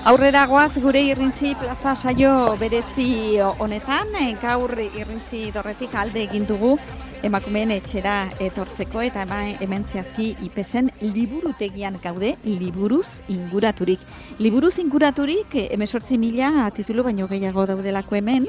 Aurrera goaz gure irrintzi plaza saio berezi honetan, gaur irrintzi dorretik alde egin dugu emakumeen etxera etortzeko eta hemen zehazki IPESen liburutegian gaude, liburuz inguraturik. Liburuz inguraturik 18.000 titulu baino gehiago daudelako hemen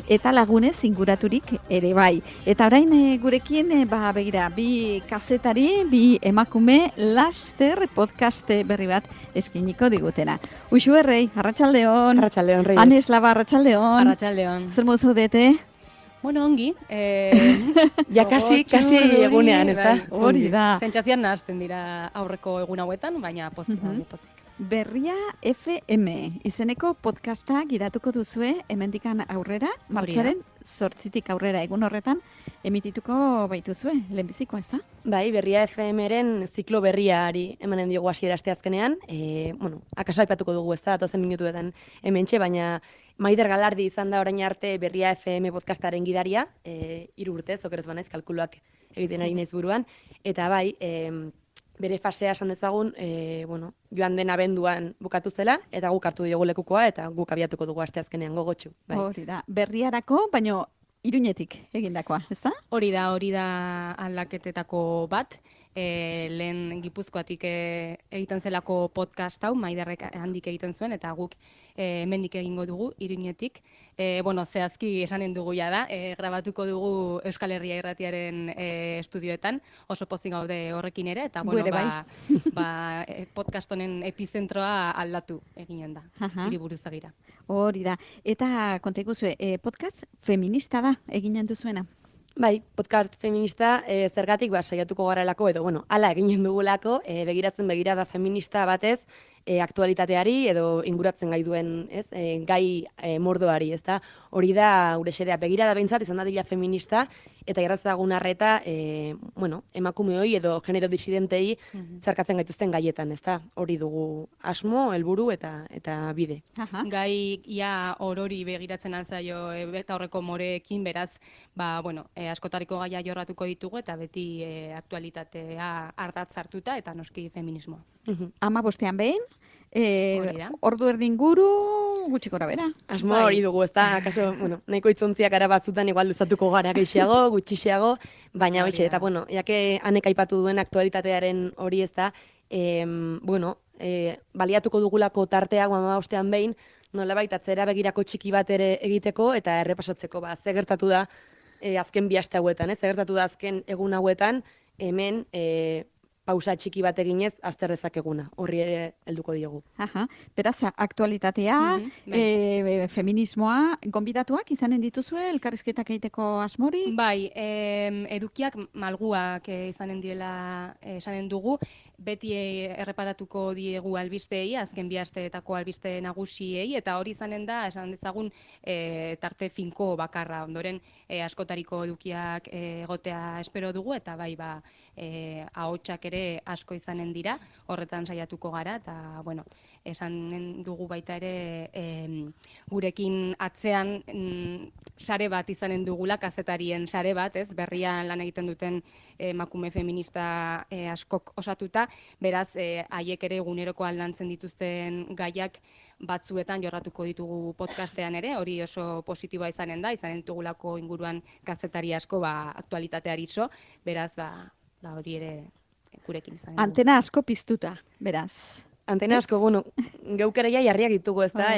eta lagunez inguraturik ere bai. Eta orain gurekin begira, bi kazetari, bi emakume laster podcast berri bat eskiniko digutena. Uxu errei, arratsaldeon. Arratsaldeon, Reyes. Anes Laba, arratsaldeon. Arratsaldeon. Zer modu zaudete? Bueno, ongi. Ja, kasi egunean, ez da? Hori da. Sentsazioan nahazten dira aurreko egun hauetan, baina pozik. Berria FM izeneko podcasta gidatuko duzue hemendikan aurrera, martxoaren 8tik aurrera egun horretan emitituko baituzue, lehenbizikoa, ez da? Bai, Berria FM-ren ziklo berriari emanen diogu hasiera asteazkenean. Akaso aipatuko dugu, ez da, 12 minutuetan hementxe, baina Maider Galardi izan da orain arte Berria FM podcastaren gidaria, 3 urtez, okerez banaiz, kalkuluak egiten ari naiz buruan, eta bai, bere fasea esan dezagun, joan den abenduan bukatu zela, eta guk hartu diogu lekukoa, eta guk abiatuko dugu asteazkenean gogotsu. Bai. Hori da, berriarako, baino Iruñetik egindakoa, ez da? Hori da aldaketetako bat. Lehen Gipuzkoatik egiten zelako podcast hau, Maiderrek handik egiten zuen, eta guk hemendik egingo dugu, Iruñetik. Zehazki esanen dugu da, grabatuko dugu Euskal Herria Irratiaren estudioetan, oso pozik gaude horrekin ere, eta podcast honen epizentroa aldatu eginen da, hiriburuzagira. Hori da, eta konta iguzue, podcast feminista da eginen duzuena? Bai, podcast feminista zergatik saiatuko garelako edo, hala eginen dugulako, begiratzen begirada feminista batez, aktualitateari edo inguratzen gai duen, gai mordoari, ez da? Hori da, gure xedea, begirada behintzat izan dadila feminista, eta irratzagun arreta, emakumeoi edo genero disidentei zarkatzen gaituzten gaietan, ez da? Hori dugu asmo, helburu eta bide. Gai ia orori begiratzen altzaio eta horreko moreekin, beraz, askotariko gaia jorratuko ditugu eta beti aktualitatea ardatz hartuta eta noski feminismoa. 15 behin, ordu erdi inguru, gutxi gora bera. Asmo hori dugu, ez da, akaso, nahiko itzontziak ara batzutan igual luzatuko gara gehiago, gutxiago, baina hoxe, eta jake anek aipatu duen aktualitatearen hori ez da, baliatuko dugulako tarteak 15 behin, nolabait atzera begirako txiki bat ere egiteko eta errepasatzeko, ze gertatu da azken 2 aste hauetan, ze gertatu da azken egun hauetan, hemen pausa txiki bat eginez azter dezakeguna. Horri ere helduko diogu. Beraz, aktualitatea, feminismoa, gonbidatuak izanen dituzue, elkarrizketak egiteko asmori? Bai, edukiak malguak izanen direla esanen dugu, beti erreparatuko diegu albisteei, azken 2 asteetako albiste nagusiei, eta hori izanen da, esan dezagun, tarte finko bakarra, ondoren askotariko edukiak egotea espero dugu, eta bai, ahotsak ere asko izanen dira, horretan saiatuko gara, eta, esanen dugu baita ere gurekin atzean sare bat izanen dugula, kazetarien sare bat, berrian lan egiten duten emakume feminista askok osatuta, beraz, haiek ere eguneroko aldantzen dituzten gaiak batzuetan jorratuko ditugu podcastean ere, hori oso positiboa izanen ditugulako inguruan kazetari asko aktualitateari iso, beraz, hori ere gurekin izanen dugu. Antena asko piztuta, beraz. Antena asko, geukereia jarriak ditugu, ez da?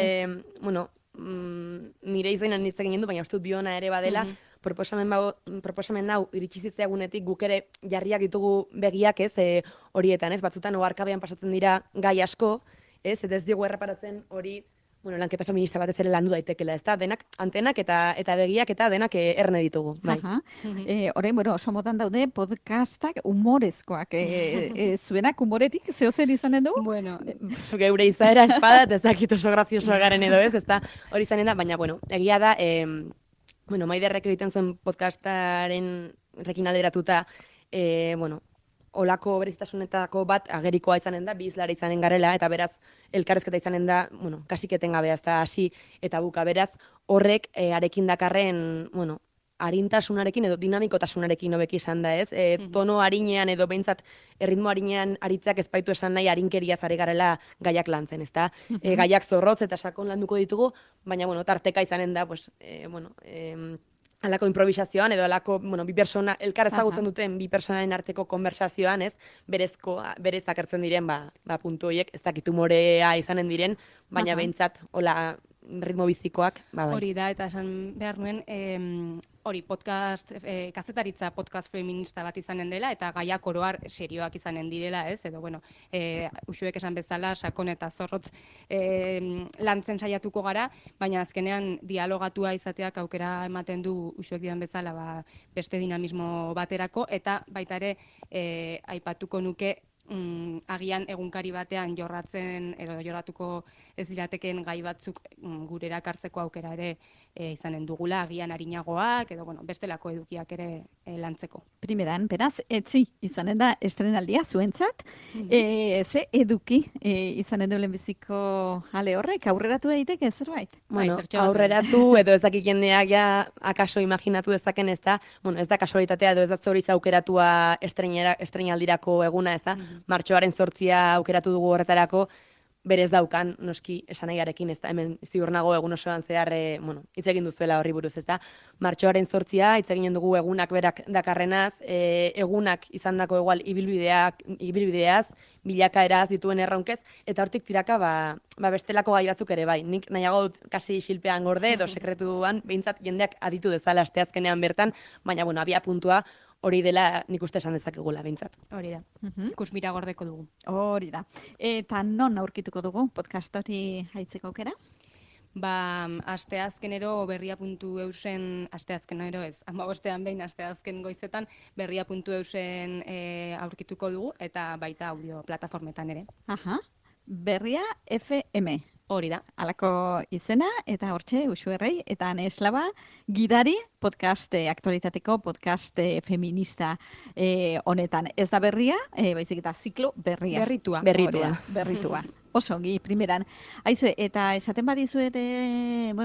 Nire izainan hitz egin du, baina uste dut biona ere badela, proposamen hau iritsi zitzaigunetik guk ere jarriak ditugu begiak, horietan, batzutan oharkabean pasatzen dira gai asko, eta ez diogu erreparatzen hori lanketa feminista batez ere landu daitekela, ez da? Denak antenak eta begiak eta denak erne ditugu. Horrein, oso modan daude podcastak humorezkoak. Zuenak humoretik, zehozer izanen du? Geure izaera espadat, ez dakit oso graziosoa garen edo ez da? Hori izanen da, baina, egia da, Maiderrek egiten zuen podcastaren rekin alderatuta, olako berezitasunetako bat agerikoa izanen da, bi izlara izanen garela, eta beraz, elkarrezketa izanen da, kasiketen gabea, ez da hasi eta buka, beraz, horrek arekin dakarren, arintasunarekin edo dinamikotasunarekin hobeki izan da, ez? Tono arinean edo behintzat erritmo arinean aritzeak ez baitu esan nahi arinkeriaz ari garela gaiak lantzen, ezta? Gaiak zorrotz eta sakon landuko ditugu, baina, bueno, tarteka izanen da, pues, alako improvisazioan edo alako, bi persona, elkar ezagutzen duten bi personaren arteko konversazioan, ez? Berez akertzen diren, puntu horiek, ez dakit humorea izanen diren, baina behintzat, hola, ritmo bizikoak, bai. Hori da, eta esan behar nuen, hori podcast, kazetaritza podcast feminista bat izanen dela, eta gaiak oroar serioak izanen direla, ez? Edo, usuek esan bezala, sakon eta zorrotz lantzen saiatuko gara, baina azkenean dialogatua izateak aukera ematen du usuek dian bezala beste dinamismo baterako, eta baita ere aipatuko nuke agian egunkari batean jorratzen edo jorratuko ez dirateken gai batzuk gurera kartzeko aukera ere izanen dugula, agian arinagoak edo bestelako edukiak ere lantzeko. Primeran, beraz, etzi izanen da estrenaldia zuentzat, ze eduki izanen du lehenbiziko ale horrek, aurreratu daiteke zerbait? Bueno, aurreratu edo ez dakik jendeak ja akaso imaginatu dezaken, ez da, ez da kasualitatea edo ez da zoriz aukeratua estrenaldirako eguna, ez da, martxoaren 8 aukeratu dugu horretarako, berez daukan, noski esanahiarekin, ez da, hemen ziur nago egun osoan zehar, hitz egin duzuela horri buruz, ez da, martxoaren 8 hitz egin dugu egunak berak dakarrenaz, egunak izandako igual ibilbideaz, bilakaeraz dituen erronkez, eta hortik tiraka, bestelako gai batzuk ere bai. Nik nahiago dut kasi xilpean gorde, edo sekretuan, behintzat jendeak aditu dezala asteazkenean bertan, baina, abia puntua, hori dela nik uste esan dezakegula behintzat. Hori da. Ikusmira gordeko dugu. Hori da. Eta non aurkituko dugu podcast hori haitzeko aukera? Asteazkenero berria.eusen, asteazkenero ez, 15ean behin asteazken goizetan berria.eusen aurkituko dugu, eta baita audio plataformetan ere. Berria FM. Hori da. Alako izena, eta hortxe, Uxuerrei, eta Ane Eslaba, gidari podcast, aktualitateko podcast feminista honetan. Ez da berria, baizik eta ziklo berria. Berritua. Oso ongi, primeran. Aizu, eta esaten badizuet,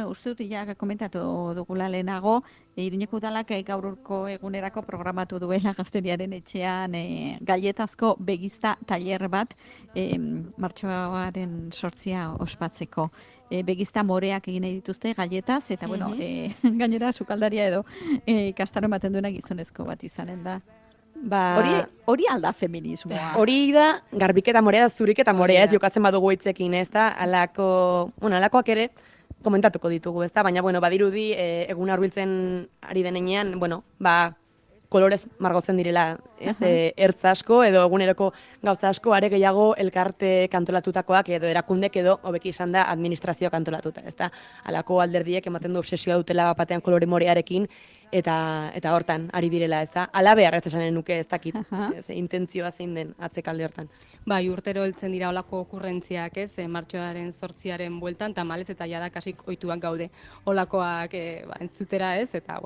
uste dut ja komentatu dugula lehenago, Iruñeko Udalak gaurko egunerako programatu duela Gazteriaren etxean galletazko begizta tailer bat martxoaren 8 ospatzeko. Begizta moreak egin nahi dituzte galletaz, eta gainera sukaldaria edo kastaro ematen duena gizonezko bat izanen da. Hori alda feminismoa. Hori da, garbiketa morea, zuriketa morea, ez jokatzen badugu hitzekin, ez da, alakoak ere, komentatuko ditugu, ez da, baina, badirudi, egun hurbiltzen ari denean, kolorez margotzen direla, ez, ertz asko, edo eguneroko gauza asko, are gehiago elkarte kantolatutakoak, edo erakundek edo, hobeki izan da, administrazio kantolatuta, ez da, alako alderdiek ematen du obsesioa dutela batean kolore morearekin, eta hortan ari direla, ez da, alabehar ez esanen nuke ez dakit, intentzioa zein den atzekalde hortan. Urtero heltzen dira olako okurrentziak, ez, martxoaren 8 bueltan, tamalez eta jada kasik ohituak gaude olakoak entzutera, ez, eta,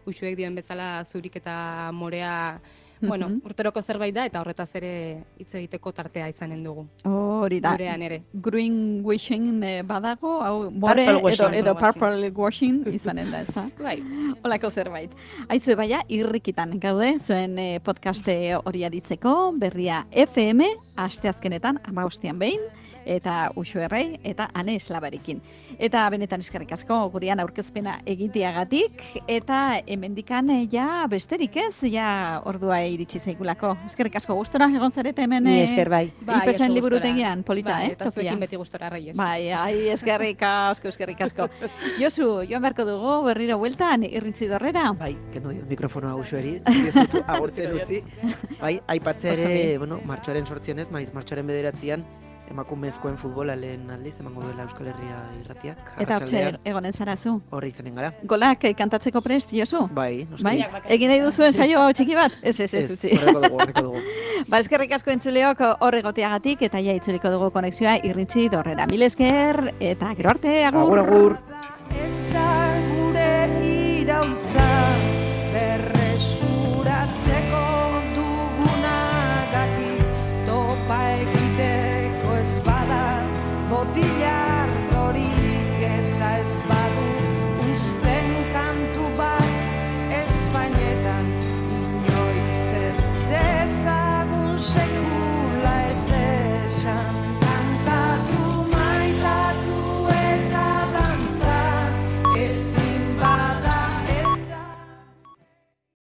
uxuek dioen bezala zurik eta morea, urteroko zerbait da, eta horretaz ere hitz egiteko tartea izanen dugu. Hori da. Gurean ere. Green washing badago, hau more edo purple washing izanen da, ez da? Bai. Olako zerbait. Aizu, baina, irrikitan gaude, zuen podcaste hori aditzeko, berria FM, asteazkenetan, 15ean behin, eta Uxuerrei, eta Ane Eslabarekin. Eta benetan eskerrik asko gurean aurkezpena egiteagatik, eta hemendikan besterik ez, ordua iritsi zaigulako. Eskerrik asko, gustora egon zarete hemen. Ni esker bai. Ipesen liburutegian, polita, Eta zuekin beti gustora, Reyes. Eskerrik asko. Josu, joan beharko dugu, berriro bueltan, Irrintzi Dorrera. Bai, kendu diot mikrofonoa Uxueri, agurtzen utzi. Bai, aipatze ere, martxoaren 8 martxoaren 9 emakumezkoen futbola lehen aldiz emango duela Euskal Herria irratiak. Eta hortxe egonen zarazu. Horre izanen gara. Golak kantatzeko prest, Josu? Bai, noski. Bai? Egin nahi duzuen saio txiki bat? Ez, utzi. Horreko dugu. Eskerrik asko entzuleok horregoteagatik, eta itzuliko dugu konexioa Irrintzi Dorrera. Mil esker, eta gero arte, agur. Agur. Ez da gure iraultza.